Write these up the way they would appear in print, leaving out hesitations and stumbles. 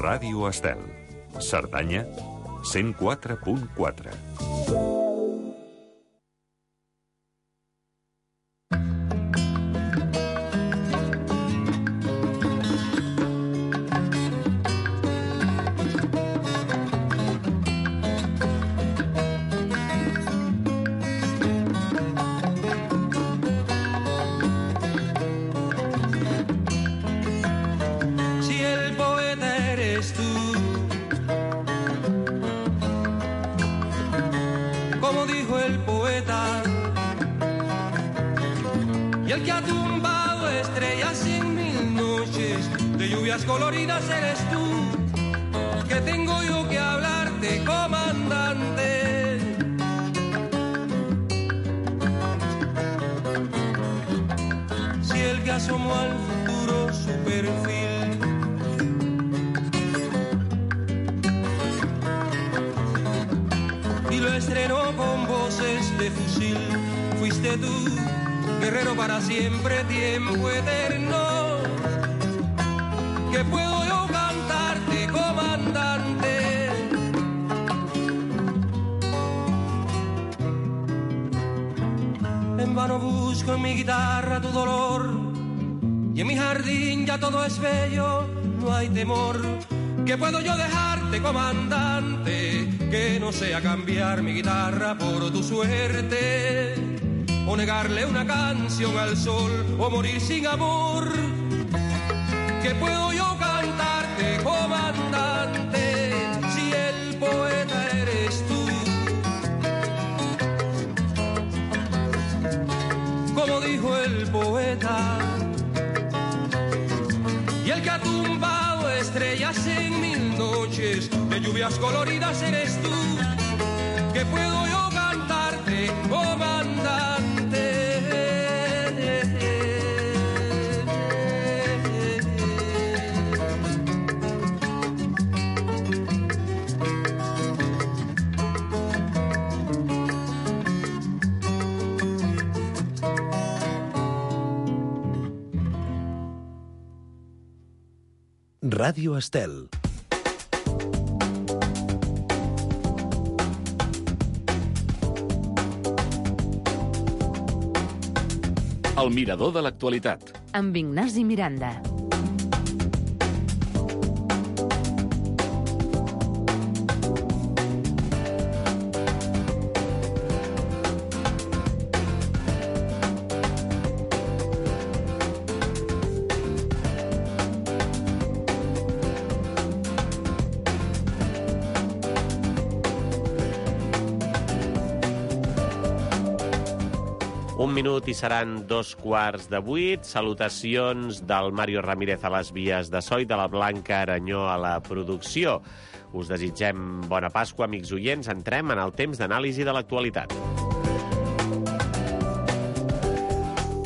Ràdio Estel. Cerdanya, 104.4. Y el que ha tumbado estrellas en mil noches de lluvias coloridas eres tú. Que tengo yo que hablarte, comandante. Si el que asomó al futuro su perfil y lo estrenó con voces de fusil, fuiste tú. Guerrero para siempre, tiempo eterno. Que puedo yo cantarte, comandante. En vano busco en mi guitarra tu dolor, y en mi jardín ya todo es bello, no hay temor. Que puedo yo dejarte, comandante, que no sea cambiar mi guitarra por tu suerte, o negarle una canción al sol, o morir sin amor. Que puedo yo cantarte, comandante, si el poeta eres tú. Como dijo el poeta, y el que ha tumbado estrellas en mil noches de lluvias coloridas eres tú. Que puedo yo cantarte, comandante. Ràdio Estel. El mirador de l'actualitat. Amb Ignasi Miranda. Un minut i seran 7:15. Salutacions del Mario Ramírez a les vies de so i de la Blanca Aranyó a la producció. Us desitgem bona Pasqua, amics oients. Entrem en el temps d'anàlisi de l'actualitat.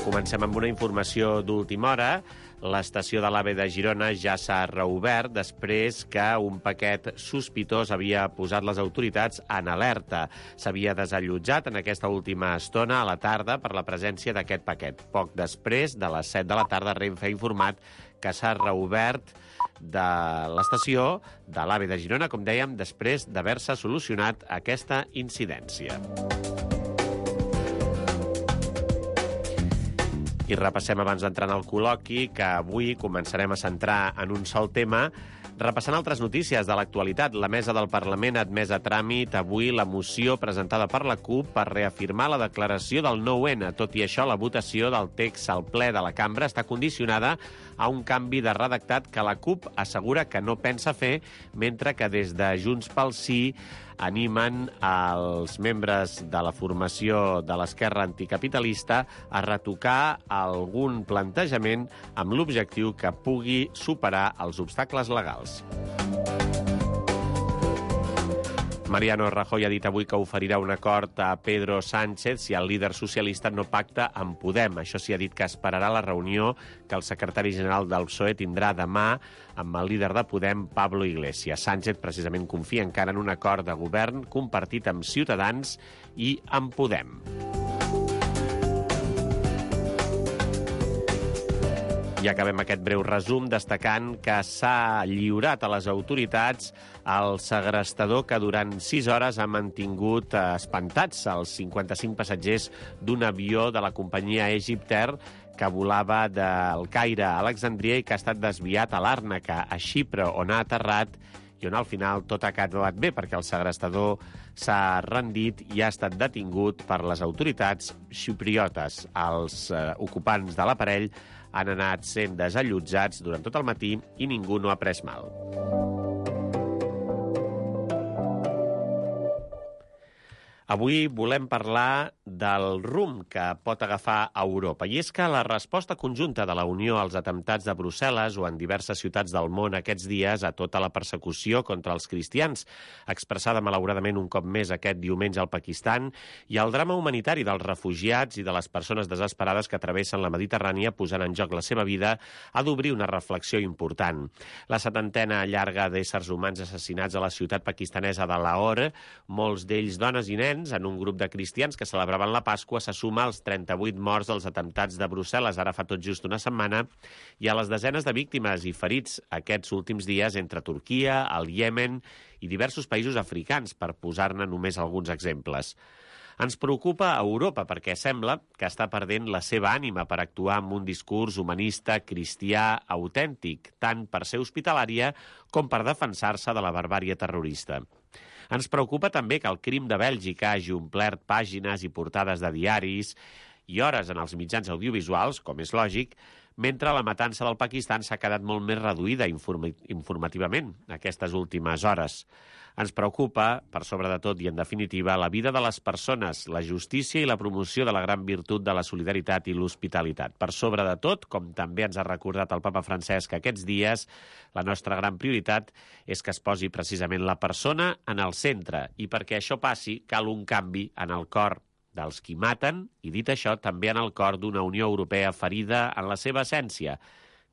Comencem amb una informació d'última hora. L'estació de l'AVE de Girona ja s'ha reobert després que un paquet sospitós havia posat les autoritats en alerta. S'havia desallotjat en aquesta última estona a la tarda per la presència d'aquest paquet. Poc després, de les 7 de la tarda, Renfe ha informat que s'ha reobert de l'estació de l'AVE de Girona, com dèiem, després d'haver-se solucionat aquesta incidència. I repassem abans d'entrar en el col·loqui que avui començarem a centrar en un sol tema, repassant altres notícies de l'actualitat. La mesa del Parlament ha admès a tràmit avui la moció presentada per la CUP per reafirmar la declaració del 9-N. Tot i això, la votació del text al ple de la cambra està condicionada a un canvi de redactat que la CUP assegura que no pensa fer, mentre que des de Junts pel Sí animen els membres de la formació de l'esquerra anticapitalista a retocar algun plantejament amb l'objectiu que pugui superar els obstacles legals. Mariano Rajoy ha dit avui que oferirà un acord a Pedro Sánchez si el líder socialista no pacta amb Podem. Això sí, ha dit que esperarà la reunió que el secretari general del PSOE tindrà demà amb el líder de Podem, Pablo Iglesias. Sánchez precisament confia encara en un acord de govern compartit amb Ciutadans i amb Podem. I acabem aquest breu resum destacant que s'ha lliurat a les autoritats el segrestador que durant 6 hores ha mantingut espantats els 55 passatgers d'un avió de la companyia Egyptair que volava del Caire a Alexandria i que ha estat desviat a Làrnaca, a Xipre, on ha aterrat i on al final tot ha acabat bé perquè el segrestador s'ha rendit i ha estat detingut per les autoritats xipriotes. Els ocupants de l'aparell han anat sent desallotjats durant tot el matí i ningú no ha pres mal. Avui volem parlar del rumb que pot agafar Europa. I és que la resposta conjunta de la Unió als atemptats de Brussel·les o en diverses ciutats del món aquests dies a tota la persecució contra els cristians, expressada malauradament un cop més aquest diumenge al Pakistan, i al drama humanitari dels refugiats i de les persones desesperades que travessen la Mediterrània posant en joc la seva vida, ha d'obrir una reflexió important. La 70ena llarga d'éssers humans assassinats a la ciutat pakistanesa de Lahore, molts d'ells dones i nens, en un grup de cristians que celebraven la Pasqua, se suma als 38 morts dels atemptats de Brussel·les, ara fa tot just una setmana, i a les desenes de víctimes i ferits aquests últims dies entre Turquia, el Iemen i diversos països africans, per posar-ne només alguns exemples. Ens preocupa a Europa perquè sembla que està perdent la seva ànima per actuar amb un discurs humanista, cristià, autèntic, tant per ser hospitalària com per defensar-se de la barbàrie terrorista. Ens preocupa també que el crim de Bèlgica hagi omplert pàgines i portades de diaris i hores en els mitjans audiovisuals, com és lògic, mentre la matança del Pakistan s'ha quedat molt més reduïda informativament aquestes últimes hores. Ens preocupa, per sobre de tot i en definitiva, la vida de les persones, la justícia i la promoció de la gran virtut de la solidaritat i l'hospitalitat. Per sobre de tot, com també ens ha recordat el papa Francesc aquests dies, la nostra gran prioritat és que es posi precisament la persona en el centre i perquè això passi cal un canvi en el cor dels qui maten i, dit això, també en el cor d'una Unió Europea ferida en la seva essència,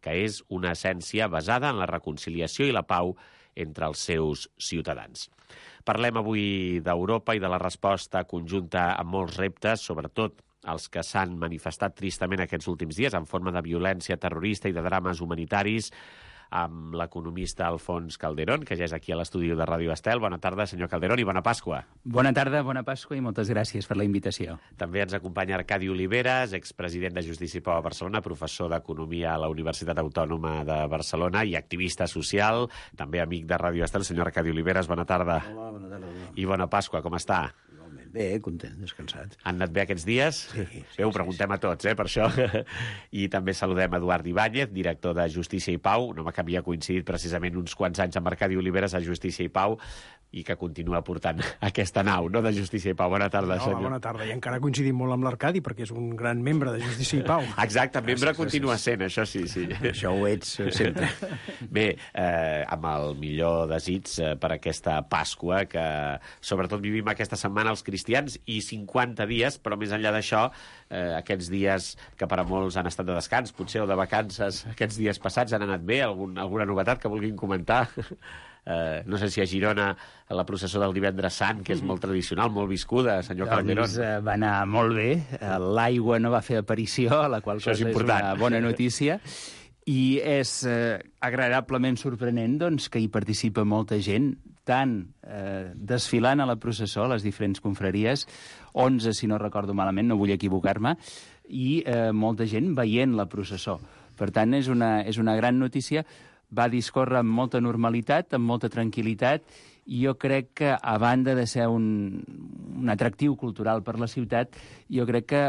que és una essència basada en la reconciliació i la pau entre els seus ciutadans. Parlem avui d'Europa i de la resposta conjunta a molts reptes, sobretot els que s'han manifestat tristament aquests últims dies en forma de violència terrorista i de drames humanitaris, amb l'economista Alfons Calderón, que ja és aquí a l'estudi de Ràdio Estel. Bona tarda, senyor Calderón, i bona Pasqua. Bona tarda, bona Pasqua i moltes gràcies per la invitació. També ens acompanya Arcadi Oliveres, expresident de Justícia i Pau a Barcelona, professor d'Economia a la Universitat Autònoma de Barcelona i activista social, també amic de Ràdio Estel. Senyor Arcadi Oliveres, bona tarda. Hola, bona tarda. I bona Pasqua, com està? Bé, content, descansat. Han anat bé aquests dies? Sí. Bé, ho preguntem a tots, per això. I també saludem Eduard Ibáñez, director de Justícia i Pau, un home que havia coincidit precisament uns quants anys amb Arcadi Oliveres a Justícia i Pau i que continua portant aquesta nau, no?, de Justícia i Pau. Bona tarda, senyor. Bona tarda, i encara coincidim molt amb l'Arcadi perquè és un gran membre de Justícia i Pau. Exacte, membre continua sent, això sí. Això ho ets sempre. Bé, amb el millor desig per aquesta Pasqua, que sobretot vivim aquesta setmana els cristians i 50 dies, però més enllà d'això, aquests dies que per a molts han estat de descans, potser, o de vacances, aquests dies passats han anat bé? Alguna novetat que vulguin comentar? No sé si a Girona la processó del Divendres Sant, que és molt tradicional, molt viscuda, senyor Calderón. Doncs va anar molt bé, l'aigua no va fer aparició, la qual cosa és una bona notícia, i és agradablement sorprenent doncs, que hi participa molta gent, tant desfilant a la processó, a les diferents confraries, 11, si no recordo malament, no vull equivocar-me, i molta gent veient la processó. Per tant, és una gran notícia. Va discórrer amb molta normalitat, amb molta tranquil·litat, i jo crec que, a banda de ser un atractiu cultural per la ciutat, jo crec que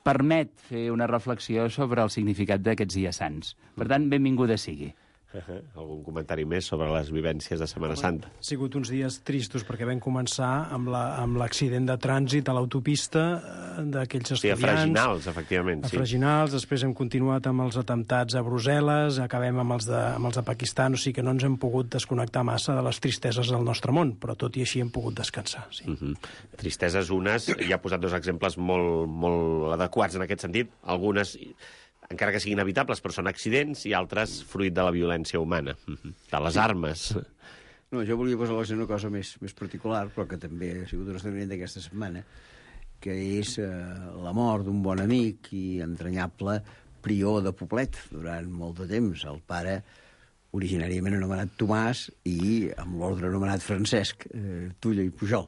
permet fer una reflexió sobre el significat d'aquests dies sants. Per tant, benvinguda sigui. Algun comentari més sobre les vivències de Setmana Santa? Ha sigut uns dies tristos perquè vam començar amb l'accident de trànsit a l'autopista d'aquells estudiants. Sí, a Freginals, efectivament. A Freginals, després hem continuat amb els atemptats a Brussel·les, acabem amb els de Pakistan, o sigui que no ens hem pogut desconnectar massa de les tristeses del nostre món, però tot i així hem pogut descansar. Sí. Tristeses unes, ja ha posat dos exemples molt adequats en aquest sentit, algunes encara que siguin evitables, però són accidents, i altres fruit de la violència humana, de les armes. No, jo volia posar una cosa més particular, però que també ha sigut un esdeveniment d'aquesta setmana, que és la mort d'un bon amic i entranyable prior de Poblet durant molt de temps. El pare, originàriament anomenat Tomàs, i amb l'ordre anomenat Francesc, Tulla i Pujol,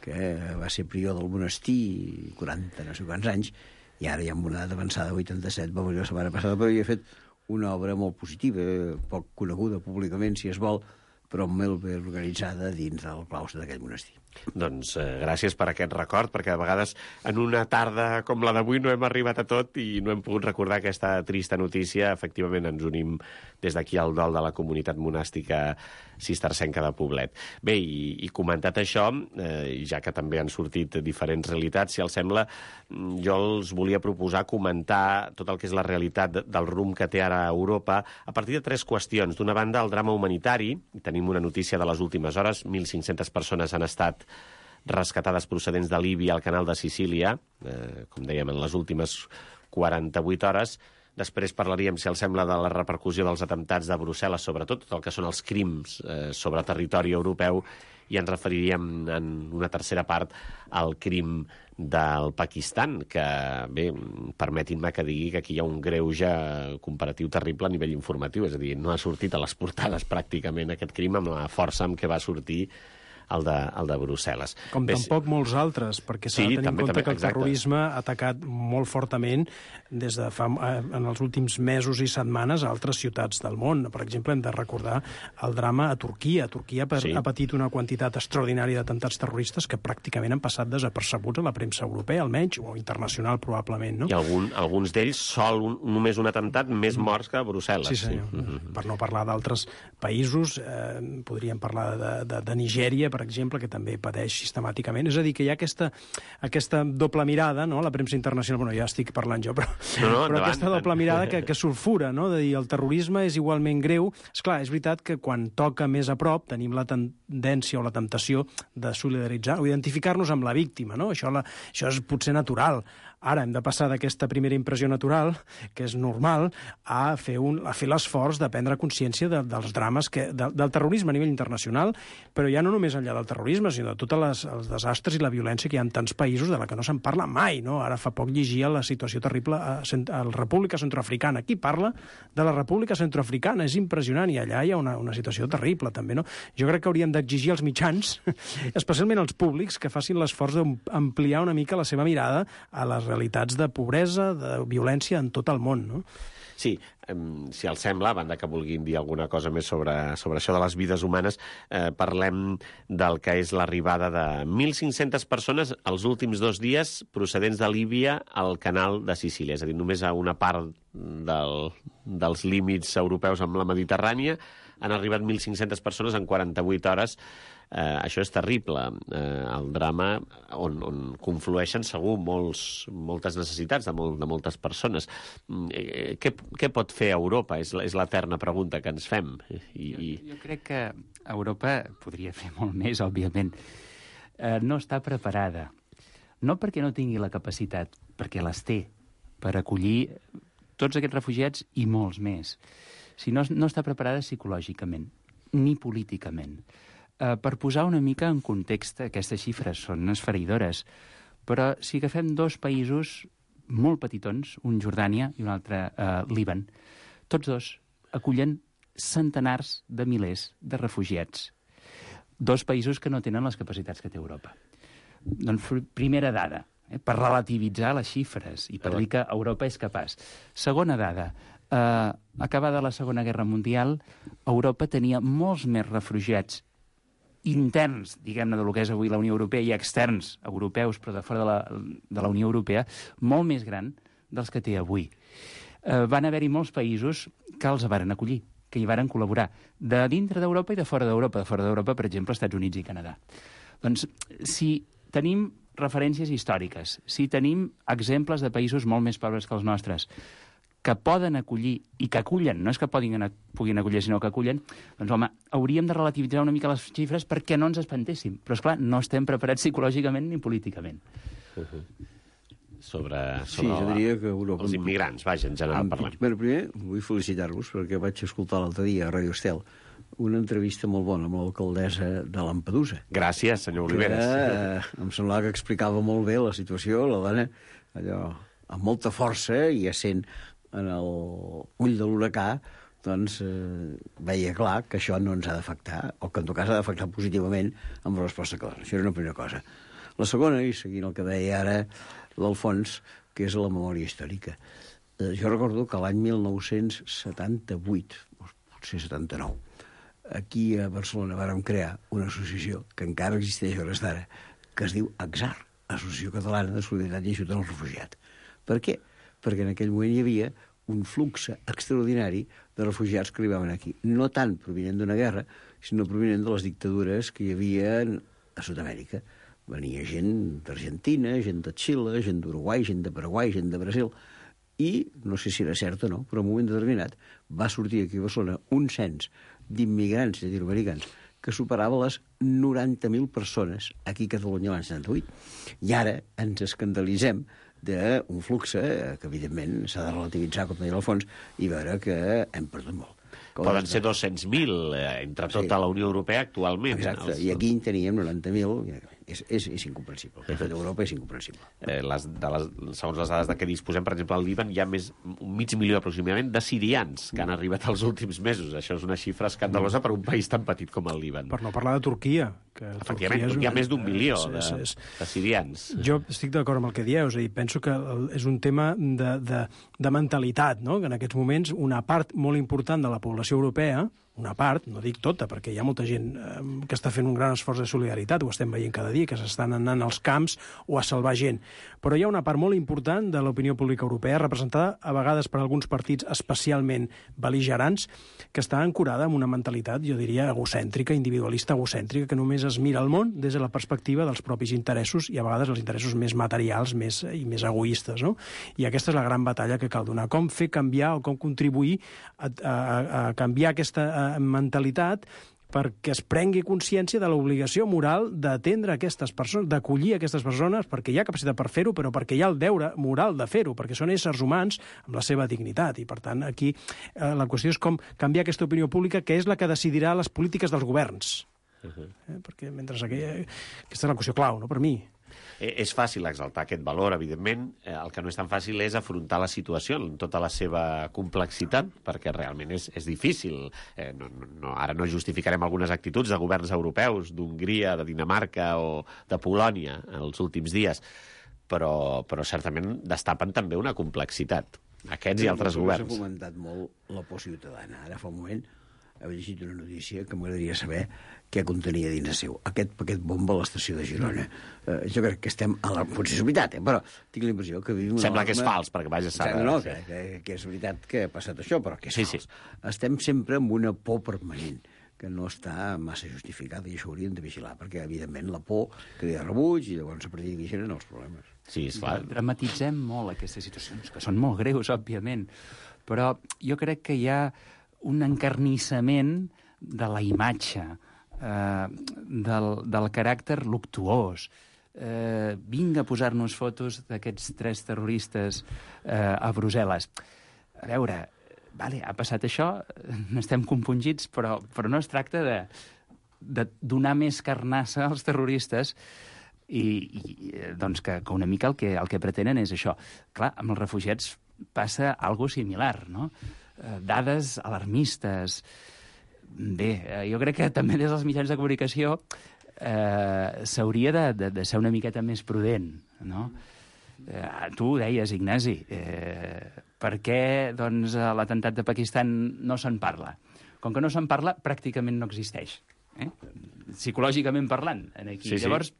que va ser prior del monestir 40 no sé quants anys, i ara ja amb una edat avançada, 87, va morir la setmana passada, però havia fet una obra molt positiva, poc coneguda públicament, si es vol, però molt ben organitzada dins del claustre d'aquell monestir. Doncs gràcies per aquest record, perquè a vegades en una tarda com la d'avui no hem arribat a tot i no hem pogut recordar aquesta trista notícia. Efectivament, ens unim des d'aquí al dol de la comunitat monàstica cistercenca de Poblet. Bé, i comentat això, ja que també han sortit diferents realitats, si els sembla, jo els volia proposar comentar tot el que és la realitat del rumb que té ara Europa a partir de 3 qüestions. D'una banda, el drama humanitari. Tenim una notícia de les últimes hores. 1.500 persones han estat rescatades procedents de Líbia al canal de Sicília, com dèiem, en les últimes 48 hores. Després parlaríem, si els sembla, de la repercussió dels atemptats de Brussel·les, sobretot tot el que són els crims sobre territori europeu, i ens referiríem en una tercera part al crim del Pakistan, que, bé, permetin-me que digui que aquí hi ha un greuge comparatiu terrible a nivell informatiu, és a dir, no ha sortit a les portades pràcticament aquest crim amb la força amb què va sortir el de Brussel·les. Com tampoc molts altres, perquè s'ha de tenir en compte que el terrorisme ha atacat molt fortament des de en els últims mesos i setmanes a altres ciutats del món. Per exemple, hem de recordar el drama a Turquia. Turquia ha patit una quantitat extraordinària d'atemptats terroristes que pràcticament han passat desapercebuts a la premsa europea, almenys, o internacional, probablement, no? I alguns d'ells només un atemptat, més morts que a Brussel·les. Sí, senyor. Per no parlar d'altres països, podríem parlar de Nigèria, per exemple, que també pateix sistemàticament. És a dir, que hi ha aquesta doble mirada, no?, la premsa internacional, bueno, ja estic parlant jo, però aquesta doble mirada que sulfura, no?, de dir el terrorisme és igualment greu. Esclar, és veritat que quan toca més a prop tenim la tendència o la temptació de solidaritzar o identificar-nos amb la víctima, no? Això és potser natural. Ara hem de passar d'aquesta primera impressió natural, que és normal, a fer l'esforç de prendre consciència dels drames del terrorisme a nivell internacional, però ja no només enllà del terrorisme, sinó de tots els desastres i la violència que hi ha en tants països de la que no se'n parla mai, no? Ara fa poc llegia la situació terrible a la República Centroafricana. Qui parla de la República Centroafricana? És impressionant, i allà hi ha una situació terrible, també, no? Jo crec que hauríem d'exigir als mitjans, especialment als públics, que facin l'esforç d'ampliar una mica la seva mirada a les realitats de pobresa, de violència en tot el món, no? Sí, si els sembla, a banda que vulguin dir alguna cosa més sobre això de les vides humanes, parlem del que és l'arribada de 1.500 persones els últims 2 dies procedents de Líbia al canal de Sicília, és a dir, només a una part dels límits europeus amb la Mediterrània han arribat 1.500 persones en 48 hores. Això és terrible. El drama on conflueixen segur moltes necessitats de moltes persones. Què pot fer Europa? És l'eterna pregunta que ens fem. Jo crec que Europa podria fer molt més, òbviament. No està preparada. No perquè no tingui la capacitat, perquè les té per acollir tots aquests refugiats i molts més. Sinó no està preparada psicològicament, ni políticament. Per posar una mica en context, aquestes xifres són esfereïdores, però si agafem 2 països molt petitons, un Jordània i un altre Líban, tots 2 acullen centenars de milers de refugiats. 2 països que no tenen les capacitats que té Europa. Doncs primera dada, per relativitzar les xifres i per dir que Europa és capaç. Segona dada, acabada la Segona Guerra Mundial, Europa tenia molts més refugiats interns, diguem-ne, del que és avui la Unió Europea, i externs, europeus, però de fora de la Unió Europea, molt més gran dels que té avui. Van haver-hi molts països que els varen acollir, que hi varen col·laborar, de dintre d'Europa i de fora d'Europa. De fora d'Europa, per exemple, Estats Units i Canadà. Doncs, si tenim referències històriques, si tenim exemples de països molt més pobres que els nostres, que poden acollir i que acullen, no és que puguin acollir, sinó que acullen, doncs, home, hauríem de relativitzar una mica les xifres perquè no ens espantéssim. Però, esclar, no estem preparats psicològicament ni políticament. Sobre sí, jo diria que Europa... els immigrants, vaja, en general parlant. Bueno, primer, vull felicitar-vos perquè vaig escoltar l'altre dia a Radio Estel una entrevista molt bona amb l'alcaldessa de Lampedusa. Gràcies, senyor Oliveres. Em semblava que explicava molt bé la situació, la dona, allò, amb molta força i essent en l'ull de l'huracà, doncs veia clar que això no ens ha d'afectar, o que en tot cas ha d'afectar positivament amb la resposta que dona. Això era una primera cosa. La segona, i seguint el que deia ara l'Alfons, que és la memòria històrica. Jo recordo que l'any 1978, potser 79, aquí a Barcelona vàrem crear una associació que encara existeix a hores d'ara, que es diu AXAR, Associació Catalana de Solidaritat i Ajuda als Refugiats. Per què? Perquè en aquell moment hi havia un flux extraordinari de refugiats que arribaven aquí. No tant provinent d'una guerra, sinó provinent de les dictadures que hi havia a Sud-amèrica. Venia gent d'Argentina, gent de Xile, gent d'Uruguai, gent de Paraguai, gent de Brasil. I, no sé si era cert o no, però en un moment determinat va sortir aquí a Barcelona un cens d'immigrants llatinoamericans que superava les 90.000 persones aquí a Catalunya l'any 78. I ara ens escandalitzem d'un flux que, evidentment, s'ha de relativitzar, com deia l'Alfons, i veure que hem perdut molt. Poden ser 200.000 entre tota la Unió Europea actualment. Exacte, i aquí en teníem 90.000. És incomprensible. El fet d'Europa és incomprensible. Segons les dades de què disposem, per exemple, al Líban hi ha un mig milió aproximadament de sirians que han arribat els últims mesos. Això és una xifra escandalosa per un país tan petit com el Líban. Per no parlar de Turquia. Efectivament, hi ha més d'1 milió de sirians. Jo estic d'acord amb el que dieu, és a dir, penso que és un tema de mentalitat, no? Que en aquests moments una part molt important de la població europea, una part, no dic tota, perquè hi ha molta gent que està fent un gran esforç de solidaritat, ho estem veient cada dia, que s'estan anant als camps o a salvar gent. Però hi ha una part molt important de l'opinió pública europea, representada a vegades per alguns partits especialment bel·ligerants, que està ancorada en una mentalitat, jo diria, egocèntrica, individualista egocèntrica, que només es mira el món des de la perspectiva dels propis interessos i a vegades els interessos més materials i més egoistes, no? I aquesta és la gran batalla que cal donar. Com fer canviar o com contribuir a canviar aquesta mentalitat perquè es prengui consciència de l'obligació moral d'atendre aquestes persones, d'acollir aquestes persones, perquè hi ha capacitat per fer-ho, però perquè hi ha el deure moral de fer-ho, perquè són éssers humans amb la seva dignitat. I, per tant, aquí la qüestió és com canviar aquesta opinió pública, que és la que decidirà les polítiques dels governs. Perquè mentre aquesta és la qüestió clau, no?, per mi. És fàcil exaltar aquest valor, evidentment. El que no és tan fàcil és afrontar la situació en tota la seva complexitat, perquè realment és difícil. Ara no justificarem algunes actituds de governs europeus, d'Hongria, de Dinamarca o de Polònia els últims dies, però certament destapen també una complexitat. Aquests i altres governs. S'ha fomentat molt la por ciutadana. Ara fa un moment he llegit una notícia que m'agradaria saber què contenia dins seu. Aquest paquet bomba a l'estació de Girona. Jo crec que estem... Potser és veritat, però tinc la impressió que vivim... Sembla que és fals, perquè vaja a saber. No, que és veritat que ha passat això, però que és fals. Estem sempre amb una por permanent que no està massa justificada, i això hauríem de vigilar, perquè, evidentment, la por crea rebuig i llavors a partir d'aquí generen els problemes. Sí, és clar. Dramatitzem molt aquestes situacions, que són molt greus, òbviament, però jo crec que hi ha un encarnissament de la imatge, del caràcter luctuós. Vinga a posar-nos fotos d'aquests 3 terroristes a Brussel·les. A veure, vale, ha passat això, n'estem compungits, però no es tracta de donar més carnassa als terroristes i doncs que una mica el que pretenen és això. Clar, amb els refugiats passa algo similar, no? Dades alarmistes. Bé, jo crec que també des dels mitjans de comunicació s'hauria de ser una miqueta més prudent, no? Tu ho deies, Ignasi, per què doncs, l'atemptat de Pakistan no se'n parla? Com que no se'n parla, pràcticament no existeix. Psicològicament parlant, aquí. Sí. Llavors,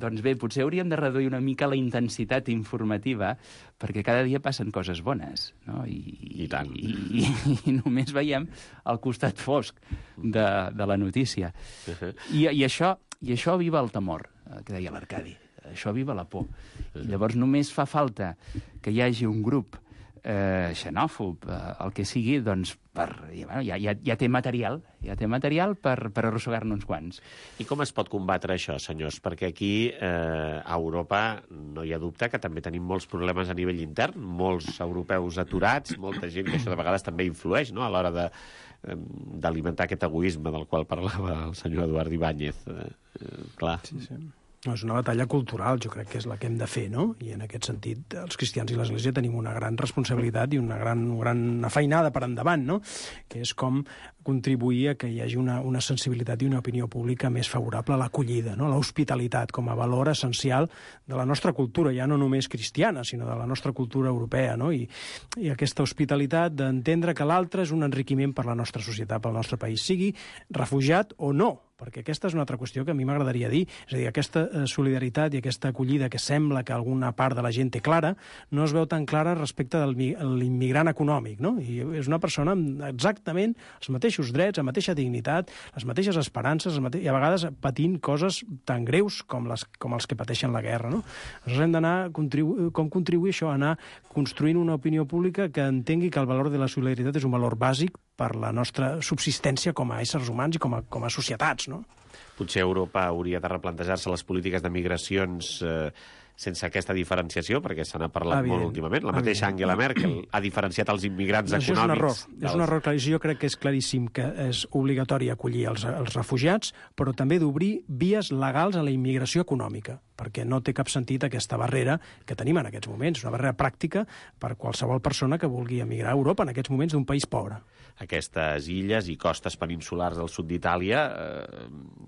doncs bé, potser hauríem de reduir una mica la intensitat informativa, perquè cada dia passen coses bones, no? I tant. I només veiem el costat fosc de la notícia. I això aviva el temor, que deia l'Arcadi. Això aviva la por. I llavors només fa falta que hi hagi un grup xenòfob, el que sigui, doncs ja té material per arrossegar-ne uns quants. I com es pot combatre això, senyors? Perquè aquí, a Europa, no hi ha dubte que també tenim molts problemes a nivell intern, molts europeus aturats, molta gent que això de vegades també influeix, no?, a l'hora d'alimentar aquest egoisme del qual parlava el senyor Eduard Ibáñez. Clar. Sí. És una batalla cultural, jo crec que és la que hem de fer, no? I en aquest sentit, els cristians i l'Església tenim una gran responsabilitat i una gran feinada per endavant, no? Que és com contribuir a que hi hagi una sensibilitat i una opinió pública més favorable a l'acollida, no? L'hospitalitat com a valor essencial de la nostra cultura, ja no només cristiana, sinó de la nostra cultura europea, no? I aquesta hospitalitat d'entendre que l'altre és un enriquiment per la nostra societat, pel nostre país, sigui refugiat o no, perquè aquesta és una altra qüestió que a mi m'agradaria dir. És a dir, aquesta solidaritat i aquesta acollida que sembla que alguna part de la gent té clara, no es veu tan clara respecte de l'immigrant econòmic, no? I és una persona amb exactament els mateixos drets, la mateixa dignitat, les mateixes esperances, i a vegades patint coses tan greus com els que pateixen la guerra, no? Nosaltres hem d'anar com contribuir això, anar construint una opinió pública que entengui que el valor de la solidaritat és un valor bàsic per la nostra subsistència com a éssers humans i com a societats, no? Potser Europa hauria de replantejar-se les polítiques de migracions sense aquesta diferenciació, perquè se n'ha parlat molt últimament. La mateixa Angela Merkel ha diferenciat els immigrants econòmics. És un error. Jo crec que és claríssim que és obligatori acollir els refugiats, però també d'obrir vies legals a la immigració econòmica, perquè no té cap sentit aquesta barrera que tenim en aquests moments, una barrera pràctica per qualsevol persona que vulgui emigrar a Europa en aquests moments d'un país pobre. Aquestes illes i costes peninsulars del sud d'Itàlia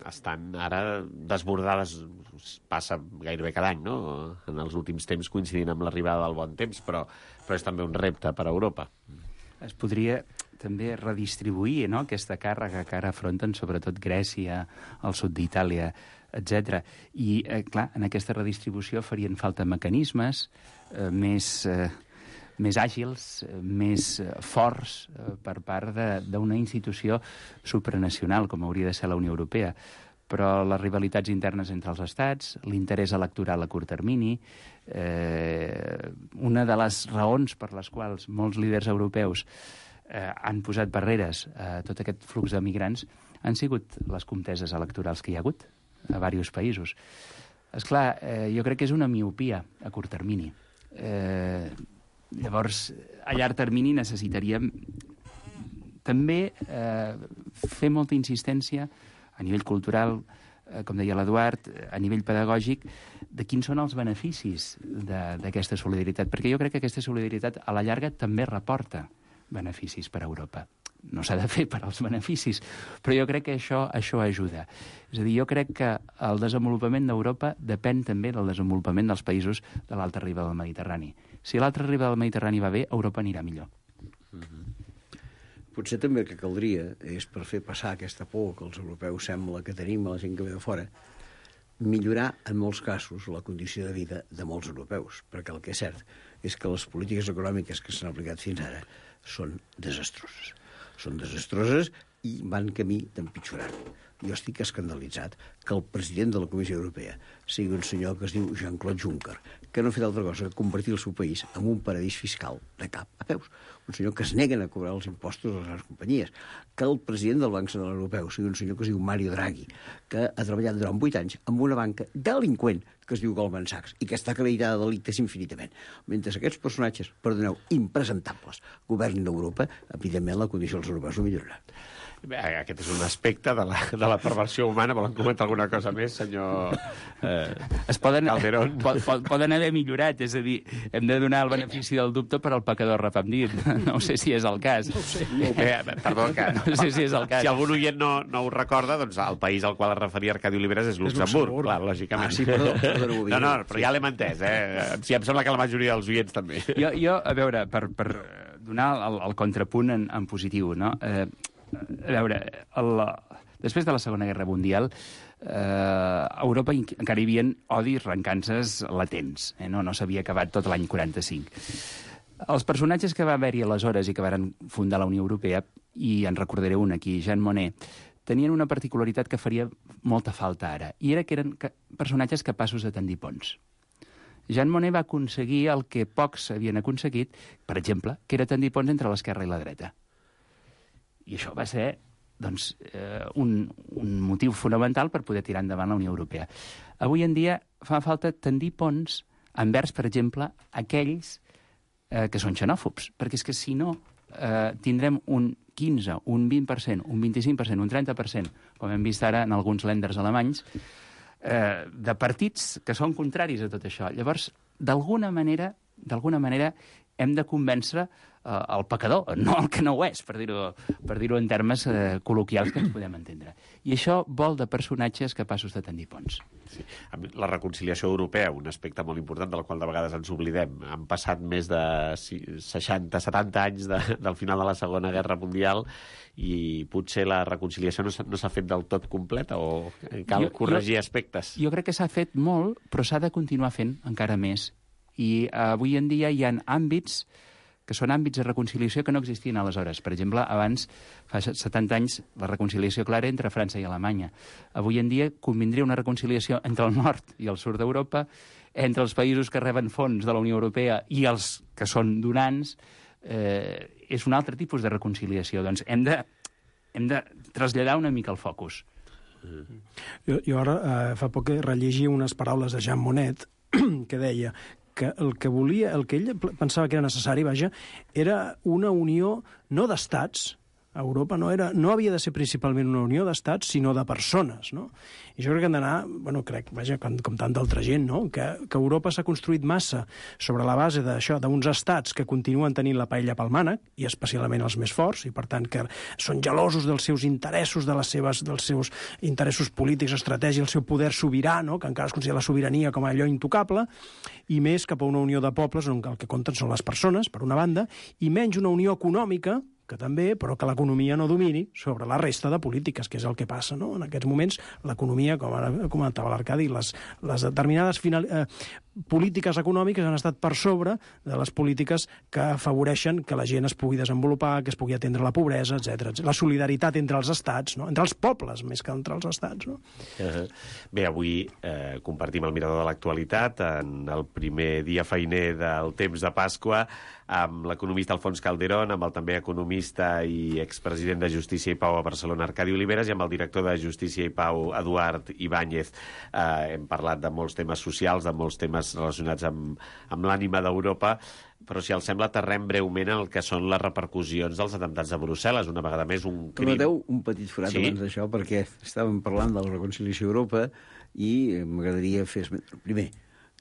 estan ara desbordades, passa gairebé cada any, no? En els últims temps coincidint amb l'arribada del bon temps, però és també un repte per a Europa. Es podria també redistribuir, no?, aquesta càrrega que ara afronten sobretot Grècia, el sud d'Itàlia, etc. I, clar, en aquesta redistribució farien falta mecanismes més àgils, més forts per part d'una institució supranacional, com hauria de ser la Unió Europea. Però les rivalitats internes entre els estats, l'interès electoral a curt termini, una de les raons per les quals molts líders europeus han posat barreres a tot aquest flux de migrants han sigut les conteses electorals que hi ha hagut a diversos països. Esclar, jo crec que és una miopia a curt termini. Llavors, a llarg termini necessitaríem també fer molta insistència a nivell cultural, com deia l'Eduard, a nivell pedagògic, de quins són els beneficis d'aquesta solidaritat. Perquè jo crec que aquesta solidaritat, a la llarga, també reporta beneficis per a Europa. No s'ha de fer per als beneficis, però jo crec que això ajuda. És a dir, jo crec que el desenvolupament d'Europa depèn també del desenvolupament dels països de l'alta riba del Mediterrani. Si l'altra riba del Mediterrani va bé, Europa anirà millor. Potser també el que caldria és, per fer passar aquesta por que els europeus sembla que tenim a la gent que ve de fora, millorar en molts casos la condició de vida de molts europeus, perquè el que és cert és que les polítiques econòmiques que s'han aplicat fins ara són desastroses. Són desastroses i van camí d'empitjorar. Jo estic escandalitzat que el president de la Comissió Europea sigui un senyor que es diu Jean-Claude Juncker, que no ha fet altra cosa que convertir el seu país en un paradís fiscal de cap a peus. Un senyor que es neguen a cobrar els impostos a les grans companyies. Que el president del Banc Central Europeu sigui un senyor que es diu Mario Draghi, que ha treballat durant 8 anys amb una banca delinqüent que es diu Goldman Sachs i que està acreditada de delictes infinitament. Mentre aquests personatges, perdoneu, impresentables, governin d'Europa, evidentment la condició dels europeus no millorarà. Aquest és un aspecte de la perversió humana. Volen comentar alguna cosa més, senyor Calderón? Poden haver millorat, és a dir, hem de donar el benefici del dubte per al pecador arrepentit. No sé si és el cas. No sé si és el cas. Si algun oient no ho recorda, doncs el país al qual es referia Arcadi Oliveres és Luxemburg, clar, lògicament. Sí, perdó. No, però ja l'hem entès, Sí, em sembla que la majoria dels oients també. Jo, a veure, per donar el contrapunt en positiu, no? A veure, després de la Segona Guerra Mundial, a Europa encara hi havia odis, recances latents. No s'havia acabat tot l'any 45. Els personatges que va haver-hi aleshores i que van fundar la Unió Europea, i en recordaré un aquí, Jean Monnet, tenien una particularitat que faria molta falta ara, i era que eren personatges capaços de tendir ponts. Jean Monnet va aconseguir el que pocs havien aconseguit, per exemple, que era tendir ponts entre l'esquerra i la dreta. I això va ser doncs, un motiu fonamental per poder tirar endavant la Unió Europea. Avui en dia fa falta tendir ponts envers, per exemple, aquells que són xenòfobs, perquè és que si no tindrem un 15, un 20%, un 25%, un 30%, com hem vist ara en alguns lenders alemanys, de partits que són contraris a tot això. Llavors, d'alguna manera hem de convèncer el pecador, no el que no ho és, per dir-ho en termes col·loquials que ens podem entendre. I això vol de personatges capaços de tendir ponts. Sí. La reconciliació europea, un aspecte molt important del qual de vegades ens oblidem. Han passat més de 60-70 anys del final de la Segona Guerra Mundial i potser la reconciliació no s'ha fet del tot completa o cal corregir aspectes? Jo crec que s'ha fet molt, però s'ha de continuar fent encara més. I avui en dia hi ha àmbits que són àmbits de reconciliació que no existien aleshores. Per exemple, abans, fa 70 anys, la reconciliació clara entre França i Alemanya. Avui en dia convindria una reconciliació entre el nord i el sud d'Europa, entre els països que reben fons de la Unió Europea i els que són donants. És un altre tipus de reconciliació. Doncs hem de traslladar una mica el focus. Jo ara fa poc rellegia unes paraules de Jean Monnet que deia que el que ell pensava que era necessari, era una unió no d'estats. Europa no havia de ser principalment una unió d'estats, sinó de persones, no? I jo crec que hem d'anar, com tanta altra gent, no? Que Europa s'ha construït massa sobre la base d'això, d'uns estats que continuen tenint la paella pel mànec, i especialment els més forts, i per tant que són gelosos dels seus interessos, dels seus interessos polítics, estratègia, el seu poder sobirà, no? Que encara es considera la sobirania com allò intocable, i més cap a una unió de pobles on el que compten són les persones, per una banda, i menys una unió econòmica, que també, però que l'economia no domini sobre la resta de polítiques, que és el que passa, no? En aquests moments, l'economia, com ara comentava l'Arcadi, les determinades polítiques econòmiques han estat per sobre de les polítiques que afavoreixen que la gent es pugui desenvolupar, que es pugui atendre la pobresa, etc. La solidaritat entre els estats, no? Entre els pobles, més que entre els estats, no? Bé, avui compartim el mirador de l'actualitat en el primer dia feiner del temps de Pasqua amb l'economista Alfons Calderón, amb el també economista i expresident de Justícia i Pau a Barcelona, Arcadi Oliveres, i amb el director de Justícia i Pau, Eduard Ibáñez. Hem parlat de molts temes socials, de molts temes relacionats amb l'ànima d'Europa, però si els sembla aterrem breument en el que són les repercussions dels atemptats de Brussel·les, una vegada més un crim. Permeteu un petit forat abans d'això, perquè estàvem parlant de la reconciliació a Europa i m'agradaria fer primer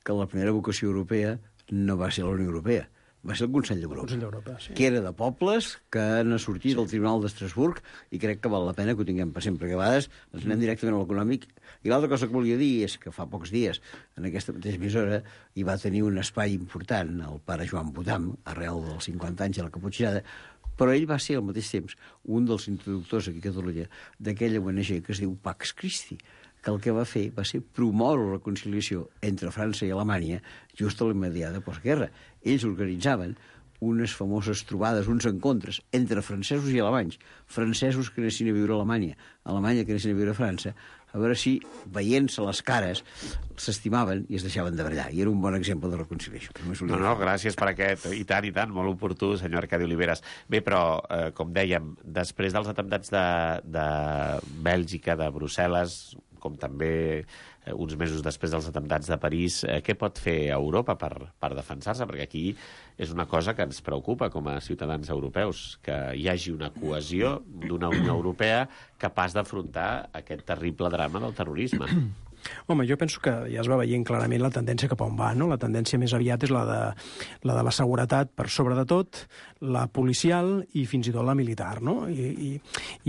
que la primera vocació europea no va ser la Unió Europea, va ser el Consell d'Europa, sí. Que era de pobles que han sortit del Tribunal d'Estrasburg i crec que val la pena que ho tinguem per sempre, que a vegades ens anem directament a l'econòmic. I l'altra cosa que volia dir és que fa pocs dies en aquesta mateixa emissora hi va tenir un espai important el pare Joan Botam, arrel dels 50 anys de la Caputxinada, però ell va ser al mateix temps un dels introductors aquí a Catalunya d'aquella ONG que es diu Pax Christi, que el que va fer va ser promoure la reconciliació entre França i Alemanya just a l'immediata postguerra. Ells organitzaven unes famoses trobades, uns encontres entre francesos i alemanys, francesos que anessin a viure a Alemanya, Alemanya que anessin a viure a França, a veure si, veient-se les cares, s'estimaven i es deixaven de ballar. I era un bon exemple de reconciliació. No, gràcies per aquest. I tant, molt oportú, senyor Arcadi Oliveres. Bé, però, com dèiem, després dels atemptats de Bèlgica, de Brussel·les, com també uns mesos després dels atemptats de París, què pot fer Europa per defensar-se? Perquè aquí és una cosa que ens preocupa com a ciutadans europeus, que hi hagi una cohesió d'una Unió Europea capaç d'afrontar aquest terrible drama del terrorisme. Home, jo penso que ja es va veient clarament la tendència cap a on va, no? La tendència més aviat és la de la seguretat per sobre de tot, la policial i fins i tot la militar, no? I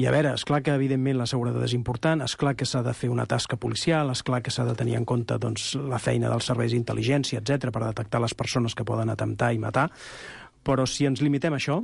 a veure, esclar que evidentment la seguretat és important, esclar que s'ha de fer una tasca policial, esclar que s'ha de tenir en compte doncs, la feina dels serveis d'intel·ligència, etc per detectar les persones que poden atemptar i matar, però si ens limitem a això,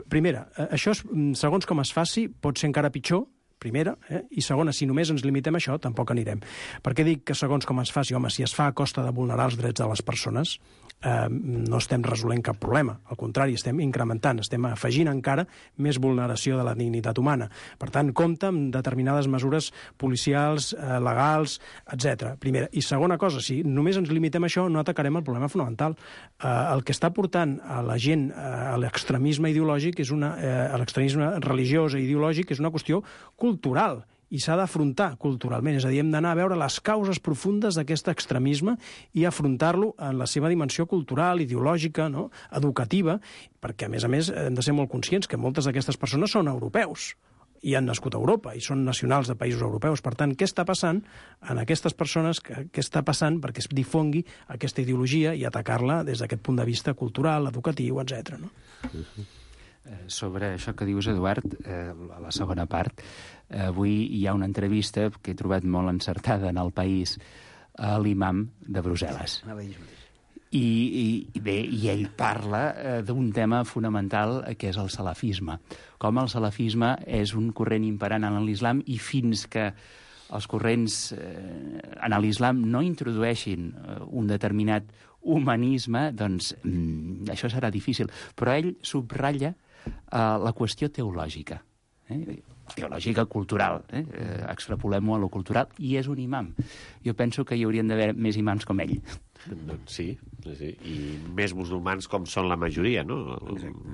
primera, això, segons com es faci, pot ser encara pitjor, primera, i segona, si només ens limitem a això, tampoc anirem. Per què dic que segons com es faci? Home, si es fa a costa de vulnerar els drets de les persones, no estem resolent cap problema. Al contrari, estem incrementant, estem afegint encara més vulneració de la dignitat humana. Per tant, compta amb determinades mesures policials, legals, etc. Primera. I segona cosa, si només ens limitem a això, no atacarem el problema fonamental. El que està portant a la gent a l'extremisme ideològic, a l'extremisme religiós i ideològic, és una qüestió cultural, i s'ha d'afrontar culturalment, és a dir, hem d'anar a veure les causes profundes d'aquest extremisme i afrontar-lo en la seva dimensió cultural, ideològica, no? Educativa, perquè, a més, hem de ser molt conscients que moltes d'aquestes persones són europeus i han nascut a Europa, i són nacionals de països europeus. Per tant, què està passant en aquestes persones? Què està passant perquè es difongui aquesta ideologia i atacar-la des d'aquest punt de vista cultural, educatiu, etc. No? Sobre això que dius, Eduard, a la segona part, avui hi ha una entrevista que he trobat molt encertada en El País a l'imam de Brussel·les. I ell parla d'un tema fonamental que és el salafisme. Com el salafisme és un corrent imperant en l'islam i fins que els corrents en l'islam no introdueixin un determinat humanisme, doncs això serà difícil. Però ell subratlla la qüestió teològica, teològica cultural, extrapolem-ho a lo cultural, i és un imam. Jo penso que hi haurien d'haver més imams com ell. Doncs sí, i més musulmans com són la majoria, no?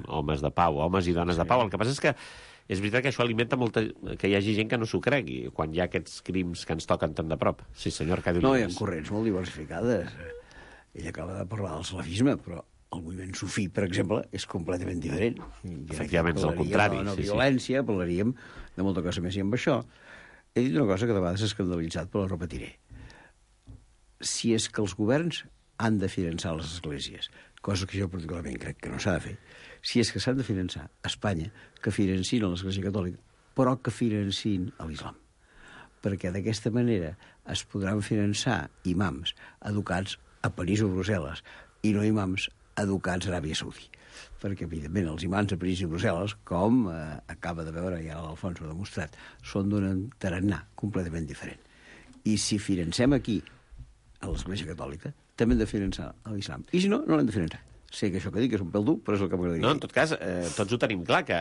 Homes de pau, homes i dones de pau. El que passa és que és veritat que això alimenta que hi hagi gent que no s'ho cregui, quan hi ha aquests crims que ens toquen tan de prop. Sí, senyor Arcadi No, hi Oliveres. ha corrents molt diversificades. Ell acaba de parlar del salafisme, però el moviment sufí, per exemple, és completament diferent. Efectivament, és el contrari. De la violència, parlaríem de molta cosa més. I amb això he dit una cosa que de vegades s'ha escandalitzat, però la repetiré. Si és que els governs han de finançar les esglésies, cosa que jo particularment crec que no s'ha de fer, si és que s'han de finançar a Espanya, que financin l'Església Catòlica, però que financin l'islam. Perquè d'aquesta manera es podran finançar imams educats a París o Brussel·les i no imams educats a Aràbia Saudí. Perquè, evidentment, els imams a París i Brussel·les, com acaba de veure, i ara l'Alfons ho ha demostrat, són d'un tarannà completament diferent. I si financem aquí a l'Església Catòlica, també hem de finançar l'islam. I si no, no l'hem de finançar. Sé que això que dic és un pèl dur, però és el que m'agradaria. No, en tot cas, tots ho tenim clar, que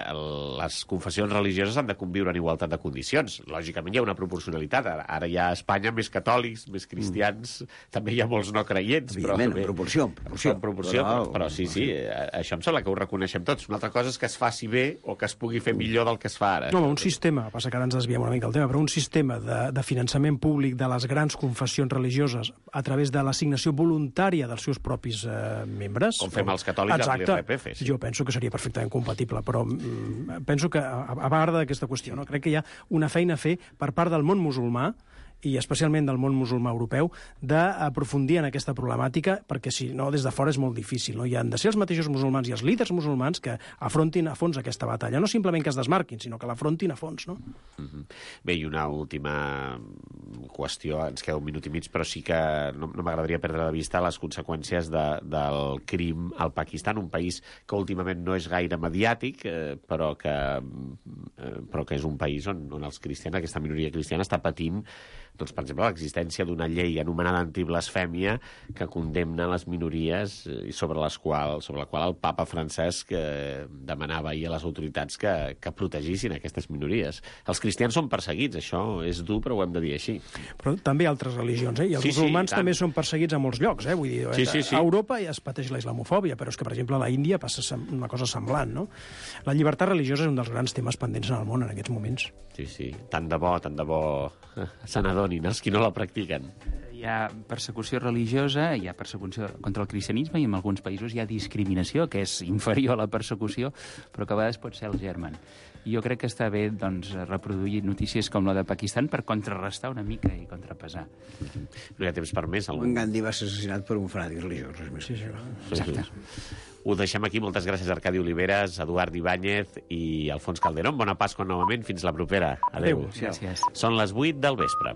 les confessions religioses han de conviure en igualtat de condicions. Lògicament hi ha una proporcionalitat. Ara hi ha a Espanya més catòlics, més cristians, també hi ha molts no creients. Evidentment, en proporció. Però sí, això em sembla que ho reconeixem tots. Una altra cosa és que es faci bé o que es pugui fer millor del que es fa ara. No, un sistema, passa que ara ens desviem una mica del tema, però un sistema de finançament públic de les grans confessions religioses a través de l'assignació voluntària dels seus propis membres. Com fem els catòlics amb l'IRPF. Sí. Jo penso que seria perfectament compatible, però penso que, a part d'aquesta qüestió, no? Crec que hi ha una feina a fer per part del món musulmà, i especialment del món musulmà europeu, d'aprofundir en aquesta problemàtica, perquè si no, des de fora és molt difícil. No? Hi han de ser els mateixos musulmans i els líders musulmans que afrontin a fons aquesta batalla. No simplement que es desmarquin, sinó que l'afrontin a fons. No? Bé, i una última qüestió, ens queda un minut i mig, però sí que no m'agradaria perdre de vista les conseqüències del crim al Pakistan, un país que últimament no és gaire mediàtic, però que és un país on els cristians, aquesta minoria cristiana, està patint, doncs, per exemple, l'existència d'una llei anomenada antiblasfèmia que condemna les minories i sobre la qual el papa Francesc demanava ahir a les autoritats que protegissin aquestes minories. Els cristians són perseguits, això és dur, però ho hem de dir així. Però també altres religions, i els musulmans també són perseguits a molts llocs, Vull dir, a Europa ja es pateix la islamofòbia, però és que, per exemple, a la Índia passa una cosa semblant, no? La llibertat religiosa és un dels grans temes pendents en el món en aquests moments. Sí, tant de bo se n'adonin els qui no la practiquen. Hi ha persecució religiosa, hi ha persecució contra el cristianisme i en alguns països hi ha discriminació, que és inferior a la persecució, però que a vegades pot ser el germen. I jo crec que està bé reproduir notícies com la de Pakistan per contrarrestar una mica i contrapesar. No hi ha temps per més. En Gandhi va ser assassinat per un fanàtic religiós. Sí. Exacte. Ho deixem aquí. Moltes gràcies, Arcadi Oliveres, Eduard Ibáñez i Alfons Calderón. Bona Pasqua novament. Fins la propera. Adéu. Gràcies. Són les 8 del vespre.